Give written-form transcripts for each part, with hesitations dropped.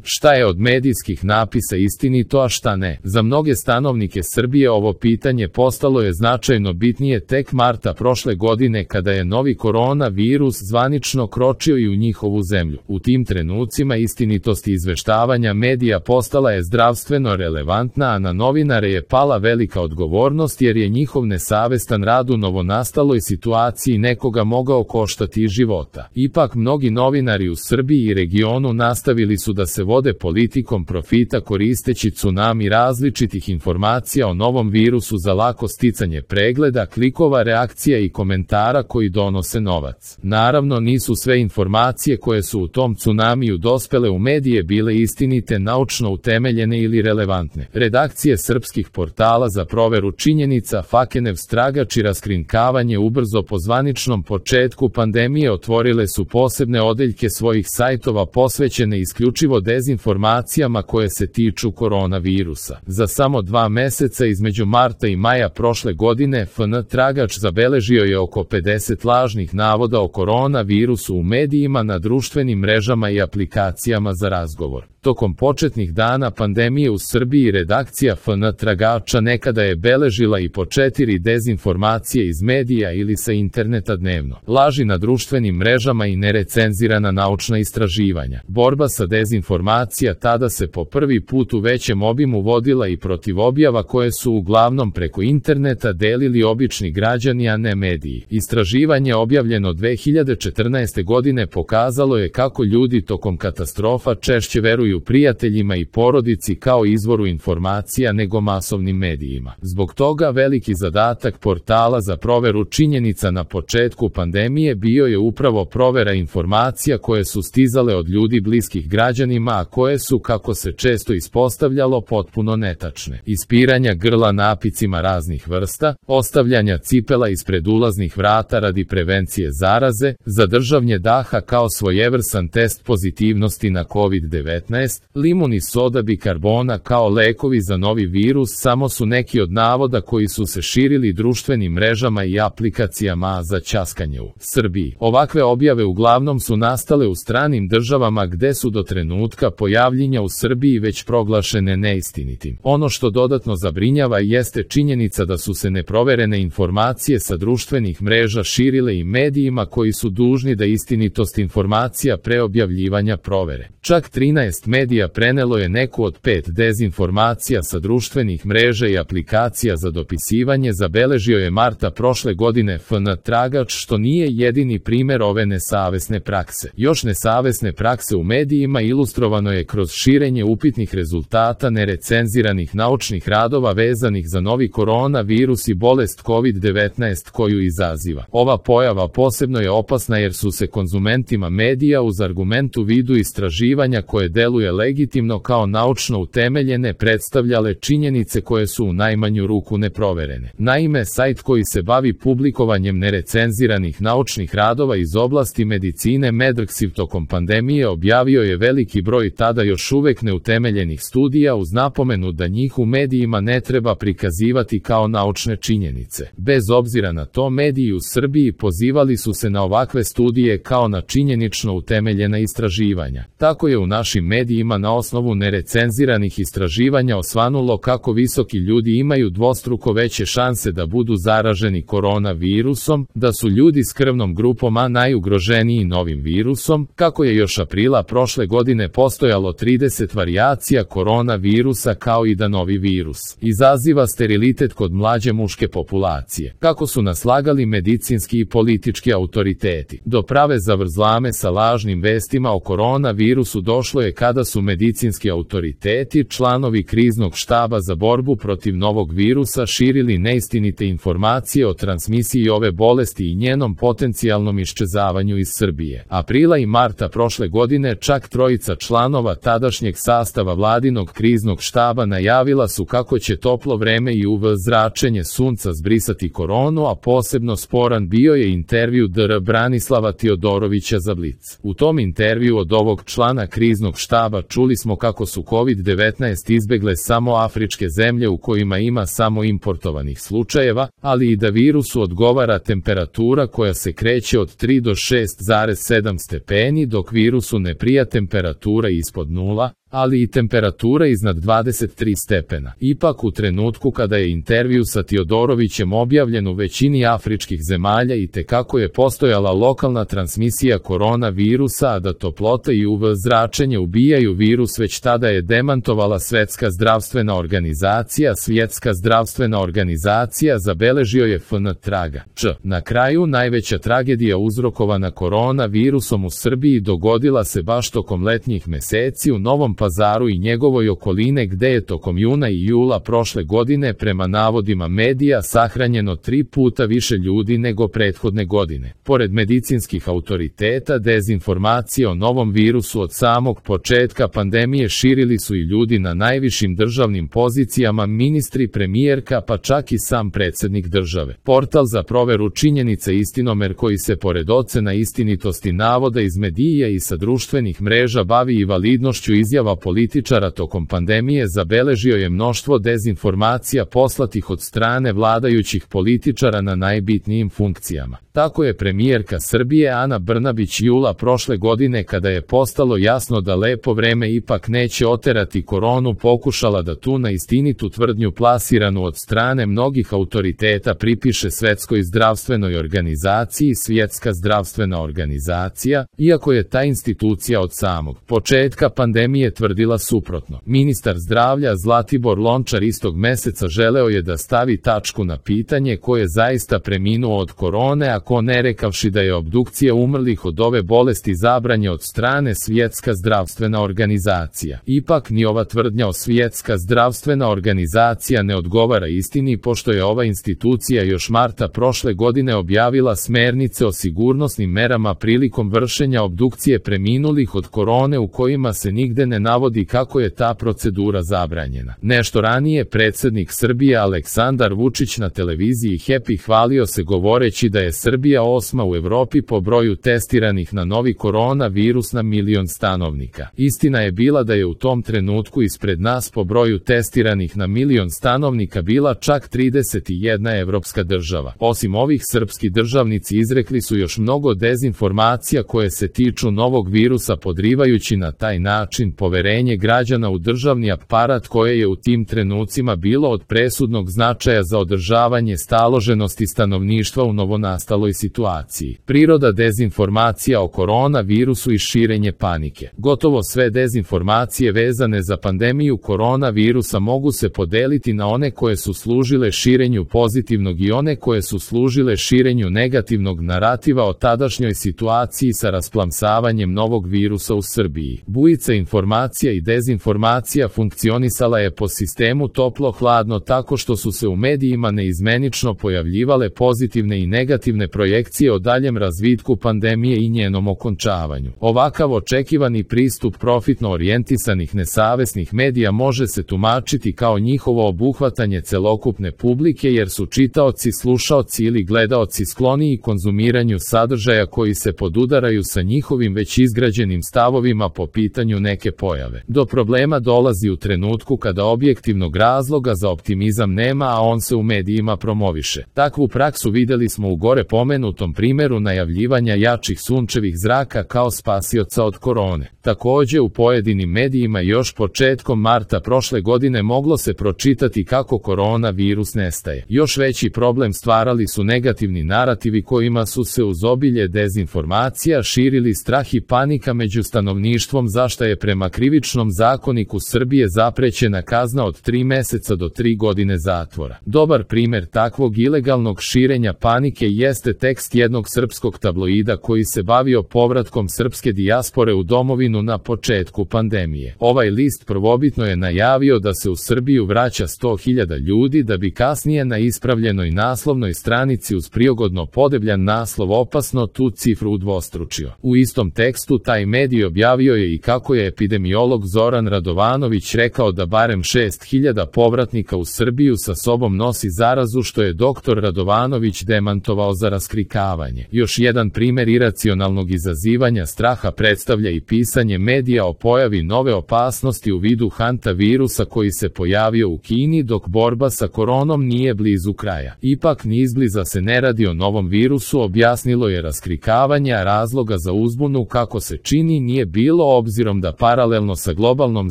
Šta je od medijskih napisa istinito, a šta ne? Za mnoge stanovnike Srbije ovo pitanje postalo je značajno bitnije tek marta prošle godine kada je novi koronavirus zvanično kročio i u njihovu zemlju. U tim trenucima istinitost izveštavanja medija postala je zdravstveno relevantna, a na novinare je pala velika odgovornost jer je njihov nesavestan rad u novonastaloj situaciji nekoga mogao koštati života. Ipak mnogi novinari u Srbiji i regionu nastavili su da se vode politikom profita koristeći tsunami različitih informacija o novom virusu za lako sticanje pregleda, klikova, reakcija i komentara koji donose novac. Naravno, nisu sve informacije koje su u tom tsunamiju dospele u medije bile istinite, naučno utemeljene ili relevantne. Redakcije srpskih portala za proveru činjenica, Fakenev stragač i raskrinkavanje ubrzo po zvaničnom početku pandemije otvorile su posebne odeljke svojih sajtova posvećene isključivo dezinformacijama koje se tiču koronavirusa. Za samo 2 meseca između marta i maja prošle godine FN tragač zabeležio je oko 50 lažnih navoda o koronavirusu u medijima, na društvenim mrežama i aplikacijama za razgovor. Tokom početnih dana pandemije u Srbiji redakcija FN tragača nekada je beležila i po 4 dezinformacije iz medija ili sa interneta dnevno. Laži na društvenim mrežama i nerecenzirana naučna istraživanja. Borba sa dezinformacija tada se po prvi put u većem obimu vodila i protiv objava koje su uglavnom preko interneta delili obični građani, a ne mediji. Istraživanje objavljeno 2014. godine pokazalo je kako ljudi tokom katastrofa češće veruju prijateljima i porodici kao izvoru informacija nego masovnim medijima. Zbog toga veliki zadatak portala za proveru činjenica na početku pandemije bio je upravo provera informacija koje su stizale od ljudi bliskih građanima, a koje su, kako se često ispostavljalo, potpuno netačne. Ispiranja grla napicima raznih vrsta, ostavljanja cipela ispred ulaznih vrata radi prevencije zaraze, zadržavanje daha kao svojevrstan test pozitivnosti na COVID-19, limun i soda bikarbona kao lekovi za novi virus samo su neki od navoda koji su se širili društvenim mrežama i aplikacijama za ćaskanje u Srbiji. Ovakve objave uglavnom su nastale u stranim državama gde su do trenutka pojavljenja u Srbiji već proglašene neistinitim. Ono što dodatno zabrinjava jeste činjenica da su se neproverene informacije sa društvenih mreža širile i medijima koji su dužni da istinitost informacija pre objavljivanja provere. Čak 13 medija prenelo je neku od 5 dezinformacija sa društvenih mreža i aplikacija za dopisivanje, zabeležio je marta prošle godine FN tragač, što nije jedini primer ove nesavesne prakse. Još nesavesne prakse u medijima ilustrovano je kroz širenje upitnih rezultata nerecenziranih naučnih radova vezanih za novi koronavirus i bolest COVID-19 koju izaziva. Ova pojava posebno je opasna jer su se konzumentima medija uz argument u vidu istraživanja koje deluje legitimno kao naučno utemeljene predstavljale činjenice koje su u najmanju ruku neproverene. Naime, sajt koji se bavi publikovanjem nerecenziranih naučnih radova iz oblasti medicine Medrxiv tokom pandemije objavio je veliki broj tada još uvek neutemeljenih studija uz napomenu da njih u medijima ne treba prikazivati kao naučne činjenice. Bez obzira na to, mediji u Srbiji pozivali su se na ovakve studije kao na činjenično utemeljena istraživanja. Tako je u našim medijima na osnovu nerecenziranih istraživanja osvanulo kako visoki ljudi imaju dvostruko veće šanse da budu zaraženi koronavirusom, da su ljudi s krvnom grupom A najugroženiji novim virusom, kako je još aprila prošle godine postojalo 30 varijacija koronavirusa, kao i da novi virus izaziva sterilitet kod mlađe muške populacije. Kako su naslagali medicinski i politički autoriteti. Do prave zavrzlame sa lažnim vestima o koronavirusu došlo je kada su medicinski autoriteti, članovi kriznog štaba za borbu protiv novog virusa, širili neistinite informacije o transmisiji ove bolesti i njenom potencijalnom iščezavanju iz Srbije. Aprila i marta prošle godine čak 3 članova tadašnjeg sastava vladinog kriznog štaba najavila su kako će toplo vreme i UV zračenje sunca zbrisati koronu, a posebno sporan bio je intervju dr. Branislava Tiodorovića za Blic. U tom intervju od ovog člana kriznog štaba čuli smo kako su COVID-19 izbegle samo afričke zemlje u kojima ima samo importovanih slučajeva, ali i da virusu odgovara temperatura koja se kreće od 3 do 6,7 stepeni, dok virusu ne prija temperatura ispod 0, ali i temperatura iznad 23 stepena. Ipak u trenutku kada je intervju sa Tiodorovićem objavljen u većini afričkih zemalja i tekako je postojala lokalna transmisija koronavirusa, a da toplota i UV zračenje ubijaju virus, već tada je demantovala Svetska zdravstvena organizacija. Svjetska zdravstvena organizacija zabeležio je FN traga. Na kraju, najveća tragedija uzrokovana koronavirusom u Srbiji dogodila se baš tokom letnjih meseci u Novom Pazaru i njegovoj okoline, gde je tokom juna i jula prošle godine prema navodima medija sahranjeno 3 puta više ljudi nego prethodne godine. Pored medicinskih autoriteta, dezinformacije o novom virusu od samog početka pandemije širili su i ljudi na najvišim državnim pozicijama, ministri, premijerka, pa čak i sam predsjednik države. Portal za proveru činjenica Istinomer, koji se pored ocena istinitosti navoda iz medija i sa društvenih mreža bavi i validnošću izjava političara tokom pandemije, zabeležio je mnoštvo dezinformacija poslatih od strane vladajućih političara na najbitnijim funkcijama. Tako je premijerka Srbije Ana Brnabić jula prošle godine, kada je postalo jasno da lepo vreme ipak neće oterati koronu, pokušala da tu neistinitu tvrdnju plasiranu od strane mnogih autoriteta pripiše Svetskoj zdravstvenoj organizaciji. Svjetska zdravstvena organizacija, iako je ta institucija od samog početka pandemije tvrdila suprotno. Ministar zdravlja Zlatibor Lončar istog meseca želeo je da stavi tačku na pitanje ko je zaista preminuo od korone, a ko ne, rekavši da je obdukcija umrlih od ove bolesti zabranje od strane Svjetska zdravstvena organizacija. Ipak ni ova tvrdnja o Svjetska zdravstvena organizacija ne odgovara istini, pošto je ova institucija još marta prošle godine objavila smernice o sigurnosnim merama prilikom vršenja obdukcije preminulih od korone, u kojima se nigde ne navodi kako je ta procedura zabranjena. Nešto ranije predsjednik Srbije Aleksandar Vučić na televiziji Happy hvalio se govoreći da je Srbija 8. u Evropi po broju testiranih na novi koronavirus na milion stanovnika. Istina je bila da je u tom trenutku ispred nas po broju testiranih na milion stanovnika bila čak 31 evropska država. Osim ovih, srpski državnici izrekli su još mnogo dezinformacija koje se tiču novog virusa, podrivajući na taj način poverenje građana u državni aparat, koje je u tim trenucima bilo od presudnog značaja za održavanje staloženosti stanovništva u novonastaloj situaciji. Priroda dezinformacija o koronavirusu i širenje panike. Gotovo sve dezinformacije vezane za pandemiju koronavirusa mogu se podeliti na one koje su služile širenju pozitivnog i one koje su služile širenju negativnog narativa o tadašnjoj situaciji sa rasplamsavanjem novog virusa u Srbiji. Bujica informacija i dezinformacija funkcionisala je po sistemu toplo-hladno, tako što su se u medijima neizmenično pojavljivale pozitivne i negativne projekcije o daljem razvitku pandemije i njenom okončavanju. Ovakav očekivani pristup profitno orijentisanih nesavesnih medija može se tumačiti kao njihovo obuhvatanje celokupne publike, jer su čitaoci, slušaoci ili gledaoci skloniji konzumiranju sadržaja koji se podudaraju sa njihovim već izgrađenim stavovima po pitanju neke pojave. Do problema dolazi u trenutku kada objektivnog razloga za optimizam nema, a on se u medijima promoviše. Takvu praksu videli smo u gore pomenutom primeru najavljivanja jačih sunčevih zraka kao spasioca od korone. Takođe, u pojedinim medijima još početkom marta prošle godine moglo se pročitati kako koronavirus nestaje. Još veći problem stvarali su negativni narativi kojima su se uz obilje dezinformacija širili strah i panika među stanovništvom, za šta je prema krivičnom zakoniku Srbije zaprećena kazna od 3 meseca do 3 godine zatvora. Dobar primer takvog ilegalnog širenja panike jeste tekst jednog srpskog tabloida koji se bavio povratkom srpske dijaspore u domovinu na početku pandemije. Ovaj list prvobitno je najavio da se u Srbiju vraća 100.000 ljudi, da bi kasnije na ispravljenoj naslovnoj stranici uz prigodno podebljan naslov opasno tu cifru udvostručio. U istom tekstu taj medij objavio je i kako je epidemiolog Zoran Radovanović rekao da barem 6.000 povratnika u Srbiju sa sobom nosi zarazu, što je doktor Radovanović demantovao za raskrikavanje. Još jedan primer iracionalnog izazivanja straha predstavlja i pisanje medija o pojavi nove opasnosti u vidu hantavirusa koji se pojavio u Kini, dok borba sa koronom nije blizu kraja. Ipak ni izbliza se ne radi o novom virusu, objasnilo je raskrikavanje, a razloga za uzbunu, kako se čini, nije bilo, obzirom da paralelno paralelno sa globalnom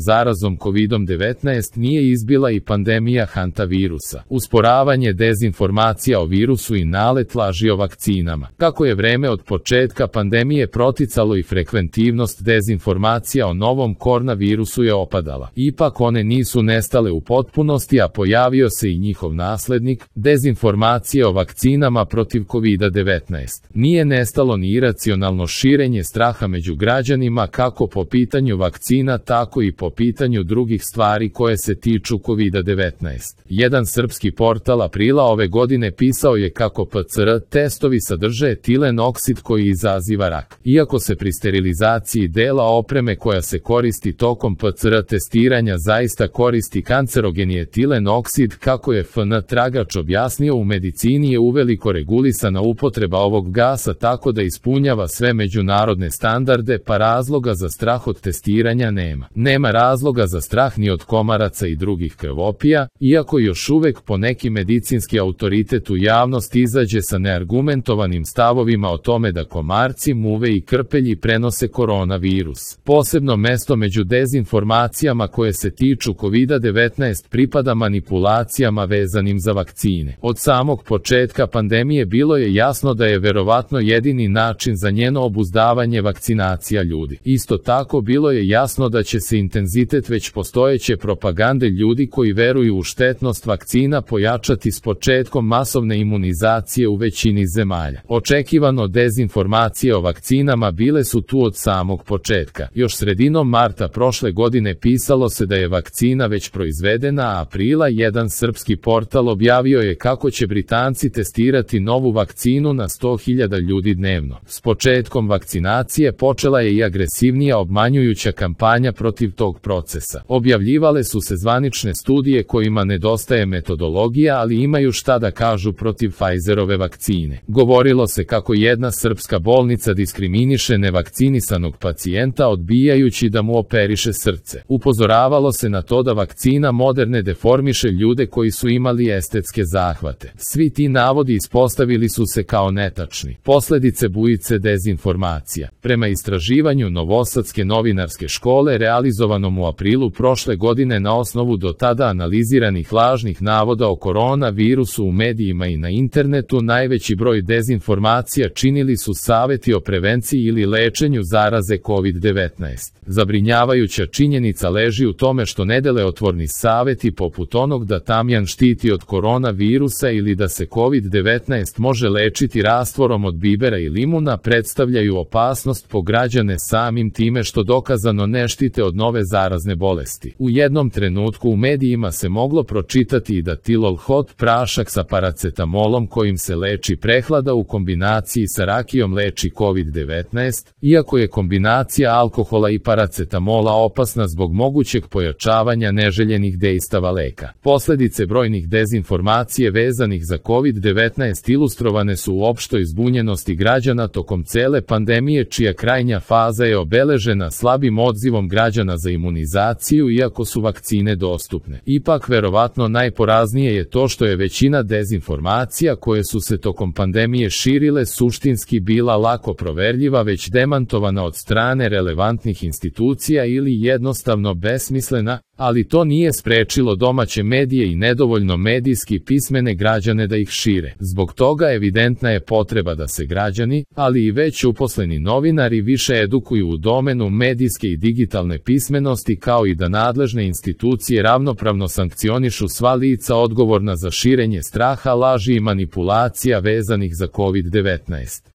zarazom COVID-19 nije izbila i pandemija hantavirusa, usporavanje dezinformacija o virusu i nalet laži o vakcinama. Kako je vreme od početka pandemije proticalo i frekventivnost dezinformacija o novom koronavirusu je opadala. Ipak one nisu nestale u potpunosti, a pojavio se i njihov naslednik, dezinformacije o vakcinama protiv COVID-19. Nije nestalo ni iracionalno širenje straha među građanima kako po pitanju vakcina, tako i po pitanju drugih stvari koje se tiču COVID-19. Jedan srpski portal aprila ove godine pisao je kako PCR testovi sadrže etilen oksid koji izaziva rak. Iako se pri sterilizaciji dela opreme koja se koristi tokom PCR testiranja zaista koristi kancerogeni etilen oksid, kako je FN Tragač objasnio, u medicini je uveliko regulisana upotreba ovog gasa tako da ispunjava sve međunarodne standarde, pa razloga za strah od testiranja nema. Nema razloga za strah ni od komaraca i drugih krvopija, iako još uvek poneki medicinski autoritet u javnosti izađe sa neargumentovanim stavovima o tome da komarci, muve i krpelji prenose koronavirus. Posebno mesto među dezinformacijama koje se tiču COVID-19 pripada manipulacijama vezanim za vakcine. Od samog početka pandemije bilo je jasno da je verovatno jedini način za njeno obuzdavanje vakcinacija ljudi. Isto tako bilo je jasno da će se intenzitet već postojeće propagande ljudi koji veruju u štetnost vakcina pojačati s početkom masovne imunizacije u većini zemalja. Očekivano dezinformacije o vakcinama bile su tu od samog početka. Još sredinom marta prošle godine pisalo se da je vakcina već proizvedena, a aprila jedan srpski portal objavio je kako će Britanci testirati novu vakcinu na 100.000 ljudi dnevno. S početkom vakcinacije počela je i agresivnija obmanjujuća kampanja protiv tog procesa. Objavljivale su se zvanične studije kojima nedostaje metodologija, ali imaju šta da kažu protiv Pfizerove vakcine. Govorilo se kako jedna srpska bolnica diskriminiše nevakcinisanog pacijenta odbijajući da mu operiše srce. Upozoravalo se na to da vakcina Moderne deformiše ljude koji su imali estetske zahvate. Svi ti navodi ispostavili su se kao netačni. Posledice bujice dezinformacija. Prema istraživanju Novosadske novinarske škole realizovanom u aprilu prošle godine na osnovu do tada analiziranih lažnih navoda o koronavirusu u medijima i na internetu, najveći broj dezinformacija činili su saveti o prevenciji ili lečenju zaraze COVID-19. Zabrinjavajuća činjenica leži u tome što nedelotvorni saveti poput onog da tamjan štiti od koronavirusa ili da se COVID-19 može lečiti rastvorom od bibera i limuna predstavljaju opasnost po građane samim time što dokazano ne štite od nove zarazne bolesti. U jednom trenutku u medijima se moglo pročitati i da Tilol Hot prašak sa paracetamolom kojim se leči prehlada u kombinaciji sa rakijom leči COVID-19, iako je kombinacija alkohola i paracetamola opasna zbog mogućeg pojačavanja neželjenih dejstava leka. Posledice brojnih dezinformacije vezanih za COVID-19 ilustrovane su u opštoj zbunjenosti građana tokom cele pandemije, čija krajnja faza je obeležena slabim odzivom građana za imunizaciju iako su vakcine dostupne. Ipak verovatno najporaznije je to što je većina dezinformacija koje su se tokom pandemije širile suštinski bila lako proverljiva, već demantovana od strane relevantnih institucija ili jednostavno besmislena, ali to nije sprečilo domaće medije i nedovoljno medijski pismene građane da ih šire. Zbog toga evidentna je potreba da se građani, ali i već uposleni novinari više edukuju u domenu medijske i digitalne pismenosti, kao i da nadležne institucije ravnopravno sankcionišu sva lica odgovorna za širenje straha, laži i manipulacija vezanih za COVID-19.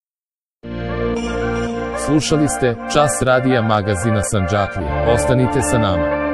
Slušali ste Čas radija magazina Sandžaklija. Ostanite sa nama.